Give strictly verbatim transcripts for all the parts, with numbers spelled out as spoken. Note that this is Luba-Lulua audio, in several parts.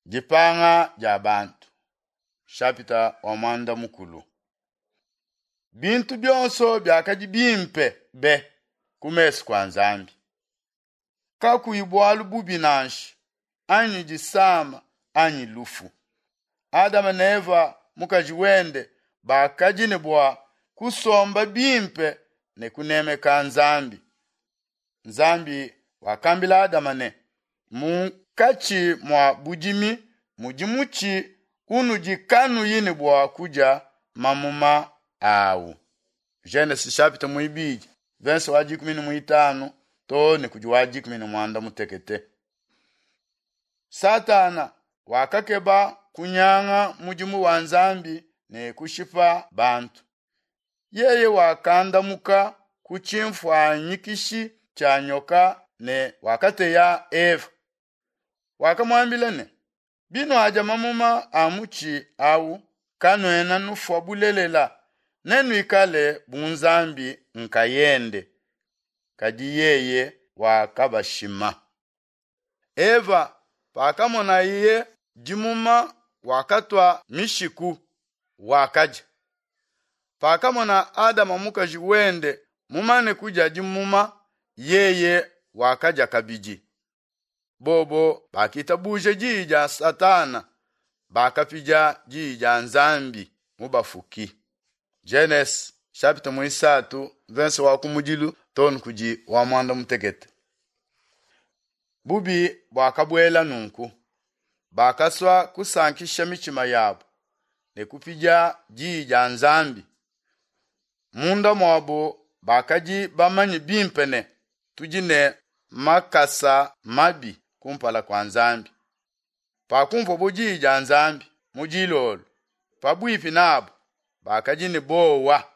Dipanga dia bantu nshapita wa muanda mukulu. Bintu bionso biakadi bimpe be ku mesu kua Nzambi. Kakuyi bualu bubi nansha anyi disama anyi lufu. Adama ne Eva mukaji wende bakadi ne bua kusomba bimpe ne kunemeka Nzambi. Nzambi wakambila Adama ne, munkatshi mua budimi mudi mutshi unudi kanuyi ne bua kudia mamuma awu. Genese chapitre muibidi verse wa dikumi ne muitanu too ne kudi wa dikumi ne muanda mutekete. Satana wakakeba kunyanga mudimu wa Nzambi ne kushipa bantu. Yeye wakandamuka ku tshimfuanyikishi tshia nyoka ne wakateya Eva. Wakamuambila ne, binuadia mamuma a mutshi awu kanuena nufua bulelela, nenuikale bu Nzambi nkayende. Kadi yeye wakabashima. Eva pakamonaye dimuma wakatua mishiku wakadia. Pakamona Adama mukaji wende mumane kudia dimuma, yeye wakadia kabidi. Bobo bakitabuja diyi dia Satana, bakapidia diyi dia Nzambi mubafuki. Genese chapitre muisatu verse wa kumudilu too ne kudi wa muanda mutekete. Bubi buakabuela nunku. Bakasua kusankisha mitshima yabu ne kupidia diyi dia Nzambi. Munda muabo bakadi bamanye bimpe ne tudi ne makasa mabi kumpala kua Nzambi. Pakumvuabo diyi dia Nzambi mu dilolo pabuipi nabo bakadi ne bowa.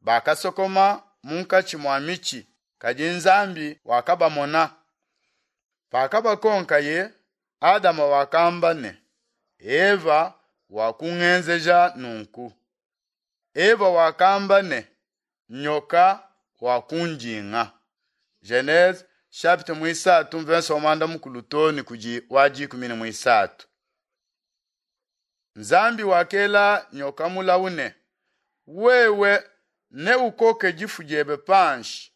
Bakasokoma munkatshi mua mitshi, kadi Nzambi wakabamona. Pakabakonkaye, Adama wakamba ne, Eva wakungenzeja nunku. Eva wakamba ne, nyoka wakundinga. Genese chapitre muisatu verse wa muanda mukulu too ne kudi wa dikumi ne muisatu. Nzambi wakela nyoka mulawu ne, wewe neukoke difu diebe panshi,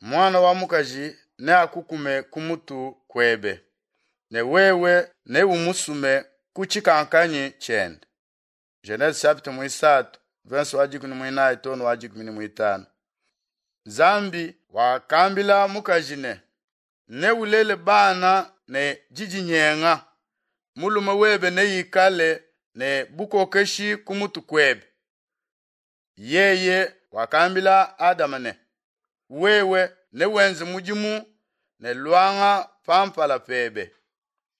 muana wa mukaji neakukume ku mutu kuebe, ne wewe neumusume ku tshikankanyi tshiende. Genese chapitre muisatu verse wa dikumi ne muinayi too ne wa dikumi ne muitanu. Nzambi wakambila mukaji ne, neulele bana ne didinyenga, mulume webe neikale ne bukokeshi ku mutu kuebe. Yeye wakambila Adama ne, wewe newenze mudimu ne luanga pampala pebe.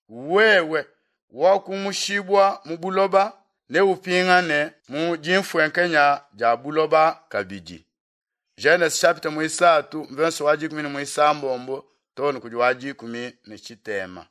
Wewe wakumushibwa mu buloba neupingane mu dimfuenkenya dia buloba kabidi. Genese chapitre muisatu verse wa dikumi ne muisambombo too ne kudi wa dikumi ne tshitema.